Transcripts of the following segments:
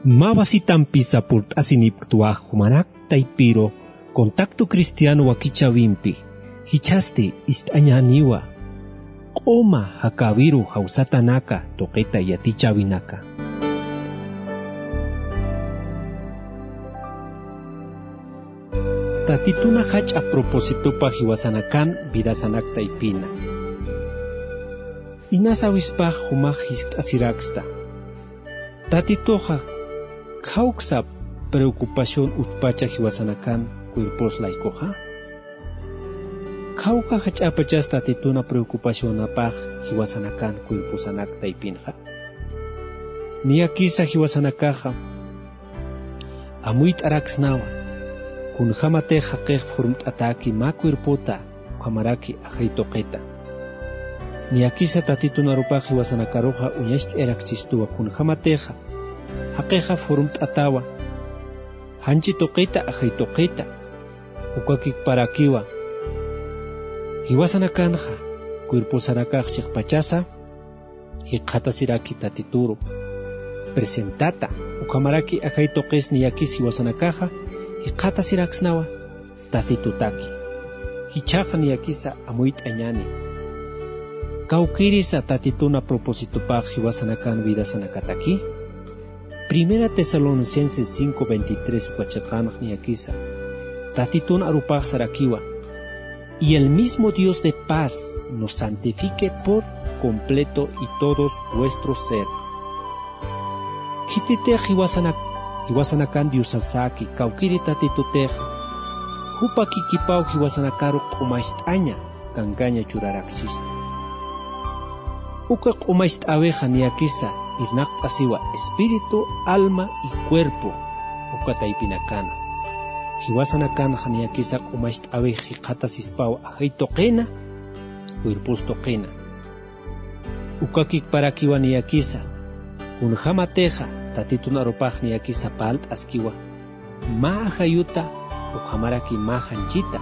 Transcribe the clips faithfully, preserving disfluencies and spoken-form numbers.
Mä wasitampisa purt'asinipktwa jumanak taypiru Contacto Cristiano wakichäwimpi, jichhasti ist'añäniwa q'uma jakäwiru jawsatanaka tuqita yatichäwinaka. Tatituna jach'a propósitopa jiwasanakan vidasanak taypina. Inas awispax jumax jiskt'asiraksta. Tatituxa, ¿khawksa preocupación uchpacha jiwasanakan cuerpos laykuxa? ¿Khawka jach'apachas Tatituna preocupacionapax jiwasanakan cuerposanak taypinxa? Niyakisa jiwasanakaxa amuyt'araksnawa, kunjämatix jaqix formt'atäki mä cuerpota, ukhamaraki ajay tuqita. Niyakisa Tatitun arupax jiwasanakaruxa uñacht'ayaraksistuwa kunjämatixa jaqixa formt'atawa, janchi tuqita, ajay tuqita. Ukakiparakiwa jiwasanakanxa, cuerposanakax chiqpachasa jikxatasiraki Tatituru presentata, ukhamaraki ajay tuqis niyakis jiwasanakaxa jikxatasiraksnawa Tatitutaki. Jichhaxa niyakisa amuyt'añäni. ¿Kawkïrisa Tatituna propósitopax jiwasanakan vidasanakataki? Primera Tesalonicenses cinco veintitrés uka chiqanx niyakisa Tatitun arupax sarakiwa: "Y el mismo Dios de paz nos santifique por completo y todo vuestro ser". Khititix jiwasanak-, jiwasanakan Diosasaki, kawkïri Tatitutix, jupa kikipaw jiwasanakaru q'umacht'aña, kankaña churaraksista. Uka q'umacht'äwixa niyakisa irnaqt'asiwa espíritu, alma y cuerpo, uka taypinakana. Jiwasanakanxa niyakisa q'umacht'äwix jikxatasispawa ajay tuqina, cuerpos tuqina. Ukakiparakiwa niyakisa, kunjämatixa Tatitun arupax niyakisa parlt'askiwa mä ajayuta, ukhamaraki mä janchita.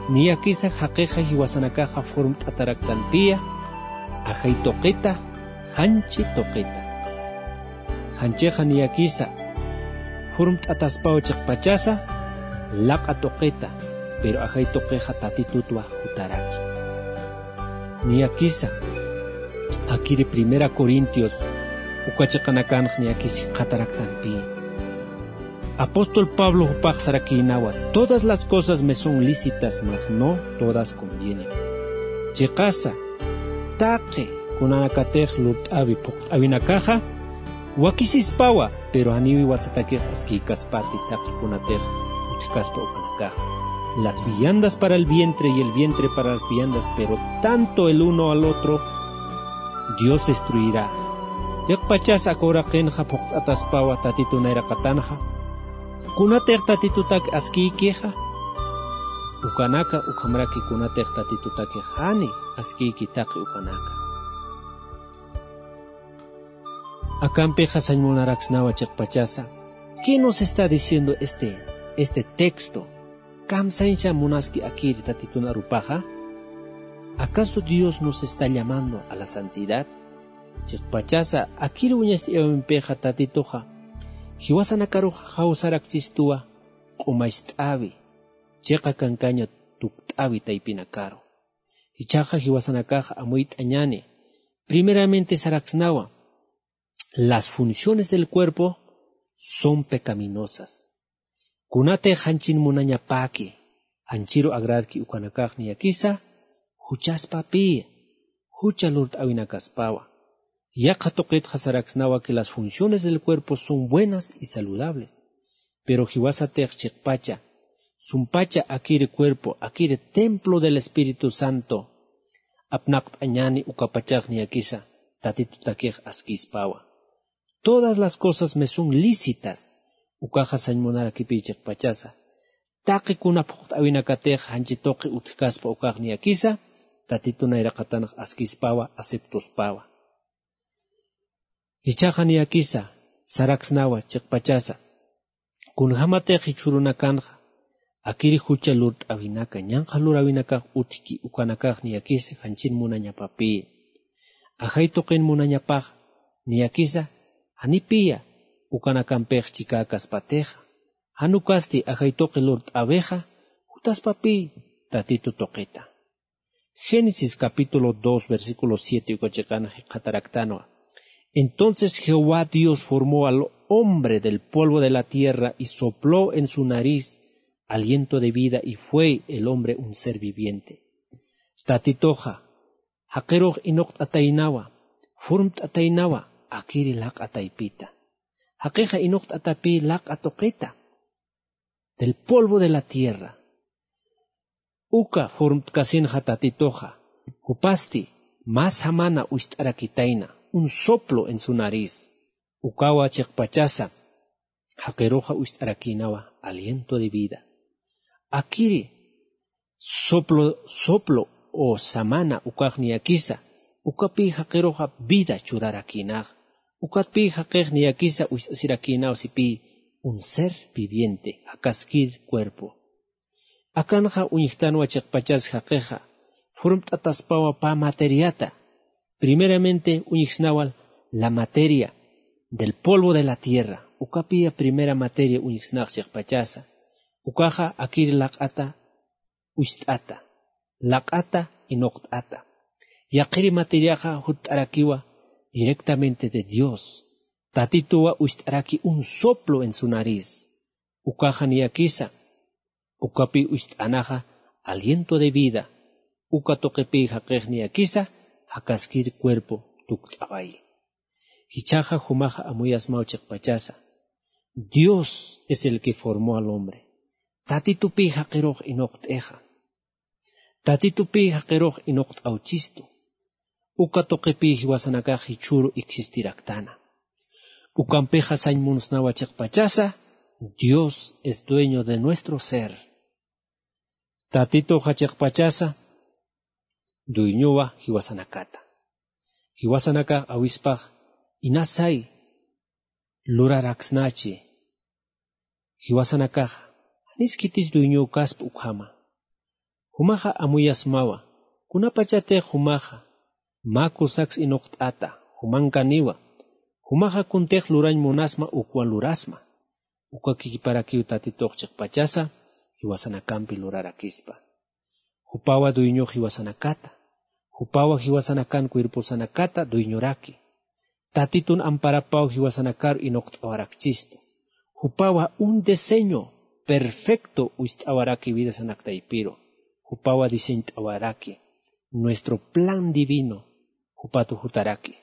Niyakisa jaqixa jiwasanakaxa formt'ataraktanpiya ajay tuqita, janchi tuqita. Janchixa niyakisa formt'ataspaw chiqpachasa laq'a tuqita, pero ajay tuqixa Tatitutwa jutaraki. Niyakisa akiri Primera Corintios uka chiqanakanx niyakis jikxataraktanpi. Apóstol Pablo jupax sarakïnawa: "Todas las cosas me son lícitas, mas no todas convienen". Chiqasa, taqi kunanakatix lurt'äwi phuqt'äwinakaxa wakisispawa, pero janiw jiwasatakix askïkaspati taqi kunatix utjkaspa ukanakaxa. Las viandas para el vientre y el vientre para las viandas, pero tanto el uno al otro Dios destruirá. Chiqpachas aka uraqinxa phuqt'ataspawa Tatitu nayraqatanxa. Kunatix Tatitutak askïkixa, ukanaka, ukhamaraki kunatix Tatitutakix jani askïki taqi ukanaka. Akampixa sañ munaraksnawa chiqpachasa: ¿Qué nos está diciendo este, este texto? ¿Kamsañsa munaski akiri Tatitun arupaxa? ¿Acaso Dios nos está llamando a la santidad? Chiqpachasa akiri uñacht'ayäwimpixa Tatituxa jiwasanakaruxa jawsaraksistuwa q'umacht'äwi, chiqa kankaña tukt'äwi taypinakaru. Jichhaxa jiwasanakaxa amuyt'añäni. Primeramente saraksnawa: "Las funciones del cuerpo son pecaminosas". Kunatix janchin munañapäki, janchiru agradki ukanakax niyakisa juchaspapiya, jucha lurt'äwinakaspawa. Yaqha tuqitxa saraksnawa que las funciones del cuerpo son buenas y saludables. Pero jiwasatix chiqpacha, sumpacha akiri cuerpo, akiri templo del Espíritu Santo apnaqt'añäni, ukapachax niyakisa Tatitutakix askïspawa. Todas las cosas me son lícitas. Ukaxa sañ munarakipi chiqpachasa. Taqi kuna phuqt'äwinakatix janchi tuqi utjkaspa ukax niyakisa Tatitu nayraqatanx askïspawa, aceptospawa. Jichhaxa niyakisa saraksnawa chiqpachasa. Kunjämatix jichhürunakanxa akiri jucha lurt'äwinaka, ñanqha luräwinakax utjki, ukanakax niyakisa janchin munañapapiya. Ajay tuqin munañapax niyakisa janipiya ukanakampix chikäkaspatixa, jan ukasti ajay tuqi lurt'äwixa jutaspapï tatitu tuqita. Génesis capítulo dos versículo siete uka chiqan jikxataraktanwa. Entonces Jehová Dios formó al hombre del polvo de la tierra y sopló en su nariz aliento de vida y fue el hombre un ser viviente. Tatituxa jaqirux inuqt'ataynawa, furmt'ataynawa akiri laq'a taypita. Jaqixa inuqt'atapï laq'a tuqita del polvo de la tierra. Uka furmt'kasinxa tatituxa jupasti mä samana ucht'arakitayna, un soplo en su nariz. Ukawa chiqpachasa jaqiruxa ucht'arakïnawa aliento de vida. Akiri soplo soplo o samana ukax niyakisa ukapï jaqiruxa vida churarakïnax. Ukatpï jaqix niyakisa ucht'asirakïnaw sipï un ser viviente jakaskir cuerpo. Akanxa uñjtanwa chiqpachas jaqixa furmt'ataspawa pä materiata. Primeramente uñjsnawal la materia del polvo de la tierra. Ukapiya primera materia uñjsnax chiqpachasa. Ukaxa akir laq'ata ucht'ata, laq'ata inuqt'ata. Yaqhiri materiaxa jutt'arakiwa directamente de Dios. Tatituwa ucht'araki un soplo en su nariz. Ukaxa niyakisa ukapi ucht'anaxa aliento de vida. Uka tuqipï jaqix niyakisa jakaskir cuerpo tukt'awayi. Jichhaxa jumaxa amuyasmaw chiqpachasa. Dios es el que formó al hombre. Tatitupï jaqirux inuqt'ixa. Tatitupï jaqirux inuqt'awchistu. Uka tuqipï jiwasanakax jichhüru existiraktana. Ukampixa sañ munsnawa chiqpachasa. Dios es dueño de nuestro ser. Tatituxa chiqpachasa dueñowa jiwasanakata. Jiwasanakax awispax inasay luraraksnachi. Jiwasanakaxa janis khitis dueñökaspa ukhama. Jumaxa amuyasmawa kunapachatix jumaxa mä kusaks inuqt'ata jumankaniwa. Jumaxa kuntix lurañ munasma ukwa lurasma. Uka kikiparakiw tatitux chiqpachasa jiwasanakampi lurarakispa. Jupawa dueñox jiwasanakata. Jupawa jiwasanakan cuerposanakata dueñoraki. Tatitun amparapaw jiwasanakar inuqt'awarakchistu. Jupawa un diseño perfecto ucht'awaraki vidasanak taypiru. Jupawa diseñt'awaraki nuestro plan divino. Jupatu jutaraki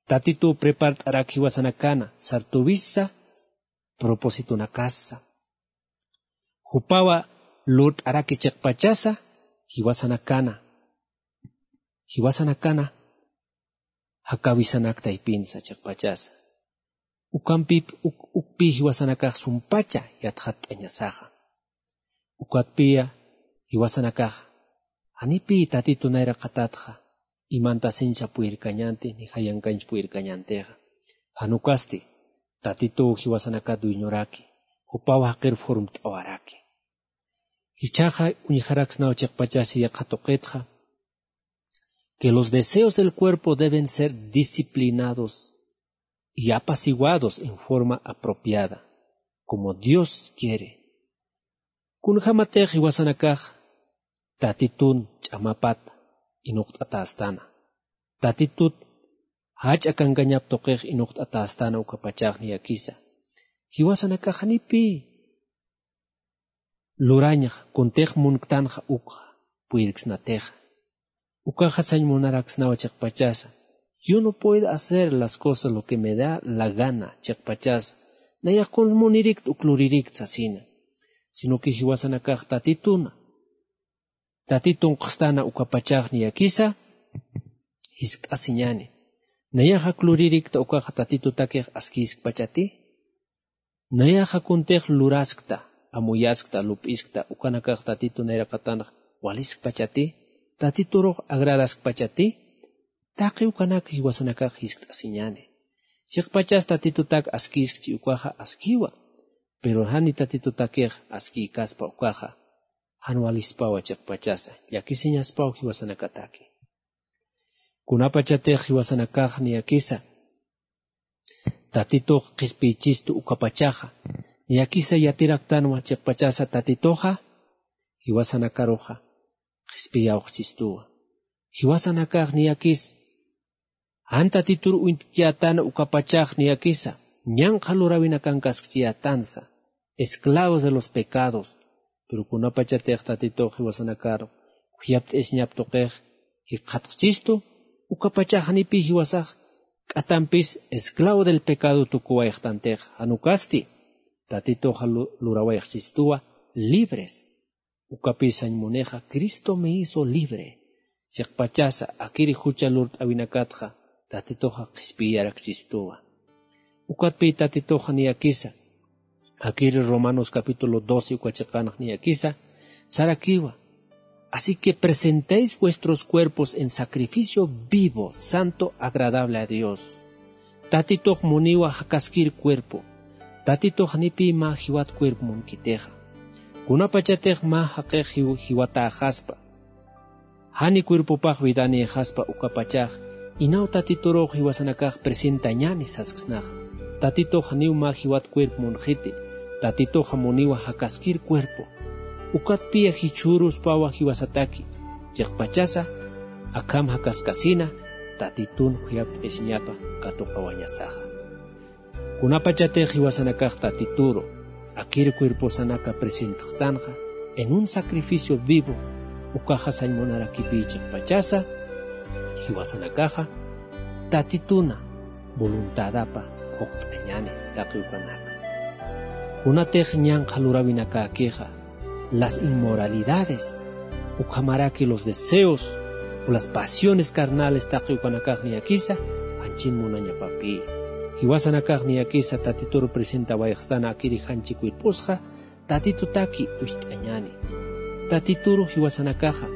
tatituw prepart'arak jiwasanakana sartuwisa propósitonakasa. Jupawa lurt'araki chiqpachasa jiwasanakana jiwasanakana jakawisanak taypinsa chiqpachasa. Ukampip ukpï jiwasanakax sumpacha yatxatt'añasaxa. Ukatpiya jiwasanakax janipï tatitu nayraqatatxa imantasincha puyirkañanti ni jayankañch puyirkañantixa. Janukasti tatituw jiwasanakat dueñoraki jupaw jaqir formt'awaraki. Jichhaxa uñjaraksnaw chiqpachasi yaqha tuqitxa que los deseos del cuerpo deben ser disciplinados y apaciguados en forma apropiada como Dios quiere. Kunjämatix jiwasanakax tatitun ch'amapata inuqt'atästana tatitut jach'a kankañap tuqix inuqt'atästana ukapachax niyakisa jiwasanakax janipï lurañxa kuntix munktanxa ukxa puyirksnatixa. Ukaxa sañ munaraksnawa chiqpachasa. Yo no puedo hacer las cosas lo que me da la gana chiqpachasa. Nayax kuns munirikta uk luririkta sasina. Sino que jiwasanakax tatituna tatitun qhstana ukapachax niyakisa jiskt'asiñani. Nayaxa kluririkta ukaxa tatitutakix askïskpachati. Nayaxa kuntix luraskta amuyaskta lup'iskta ukanakax tatitu nayraqatanx waliskpachati. Tatiturux agradaskpachati. Taqi ukanak jiwasanakax jiskt'asiñani. Chiqpachas tatitutak askïskchi ukaxa askïwa. Pero jani tatitutakix askïkaspa ukaxa jan walispawa chiqpachasa llakisiñaspaw jiwasanakataki. Kunapachatix jiwasanakax niyakisa Tatitux qhispiychistu ukapachaxa. Niyakisa yatiraktanwa chiqpachasa Tatituxa jiwasanakaruxa qhispiyawxchistuwa. Jiwasanakax niyakis jan Tatitur uñtkiyätana ukapachax niyakisa ñanqha luräwinakankaskchiyätansa, esclavos de los pecados. Pero kunapachatix Tatitux jiwasanakar khuyapt'isiñap tuqix jikxatxchistu, ukapachax janipï jiwasax k'atampis esclavo del pecado tukuwayxtantix, jan ukasti Tatituxa lu- lurawayxchistuwa libres. Ukapï sañ munixa Cristo me hizo libre. Chiqpachasa akiri jucha lurt'äwinakatxa Tatituxa qhispiyarakchistuwa. Ukatpï Tatituxa niyakisa akiri Romanos capítulo doce uka chiqanx niyakisa sarakiwa: Así que presentéis vuestros cuerpos en sacrificio vivo, santo, agradable a Dios. Tatitux muniwa jakaskir cuerpo. Tatitux janipï mä jiwat cuerpo munkitixa. Kunapachatix mä jaqix jiw- jiwatäxaspa, jani cuerpopax widanïxaspa ukapachax, inaw Tatiturux jiwasanakax presentañäni sasksnaxa. Tatitux janiw mä jiwat cuerpo munxiti. Tatituxa muniwa jakaskir cuerpo. Ukatpï jichhüruspawa jiwasataki. Chiqpachasa akham jakaskasina Tatitun khuyapt'isiñapa katuqawañasaxa. Kunapachatix jiwasanakax Tatituru akir cuerposanaka presentxtanxa en un sacrificio vivo, ukaxa sañ munarakipï chiqpachasa jiwasanakaxa Tatituna voluntadapa phuqt'añäni taqi ukanaka. Kunatix ñanqha luräwinakäkixa las inmoralidades, ukhamaraki los deseos o las pasiones carnales taqi ukanakax niyakisa janchin munañapapï. Jiwasanakax niyakisa Tatitur presentawayxstana akiri janchi cuerposxa Tatitutaki uñst'añäni. Tatituru jiwasanakaxa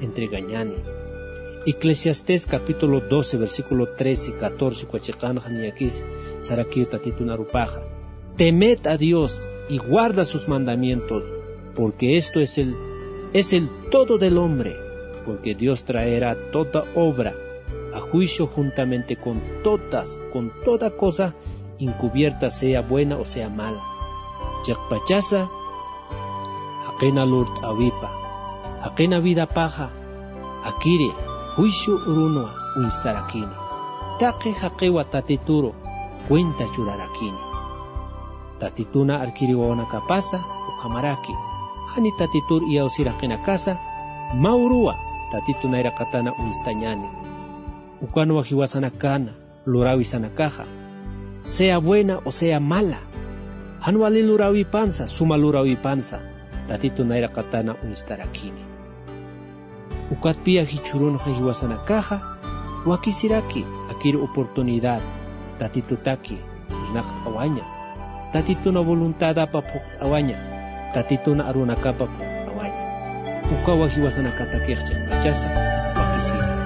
entregañäni. Eclesiastés capítulo doce, versículo trece, catorce uka chiqanxa niyakis sarakiw Tatitun arupaxa: Temed a Dios y guarda sus mandamientos, porque esto es el, es el todo del hombre, porque Dios traerá toda obra a juicio juntamente con todas, con toda cosa encubierta, sea buena o sea mala. Chiqpachasa jaqina lurt'äwipa, jaqina vidapaxa akiri juicio urunwa uñstarakini. Taqi jaqiwa Tatituru cuenta churarakini. Tatituna arkiri wawanakapasa ukhamaraki, jani Tatitur iyawsir jaqinakasa mä uruwa Tatitu nayraqatana uñstañäni. Ukanwa jiwasanakana luräwisanakaxa, sea buena o sea mala, jan wali luräwipansa, suma luräwipansa Tatitu nayraqatana uñstarakini. Ukatpï jichhürunxa jiwasanakaxa wakisiraki akir oportunidad Tatitutaki irnaqt'awaña, Tatituna voluntadapa phuqt'awaña, Tatituna arunakapa phuqt'awaña. Ukawa jiwasanakatakix chiqpachasa wakisiri.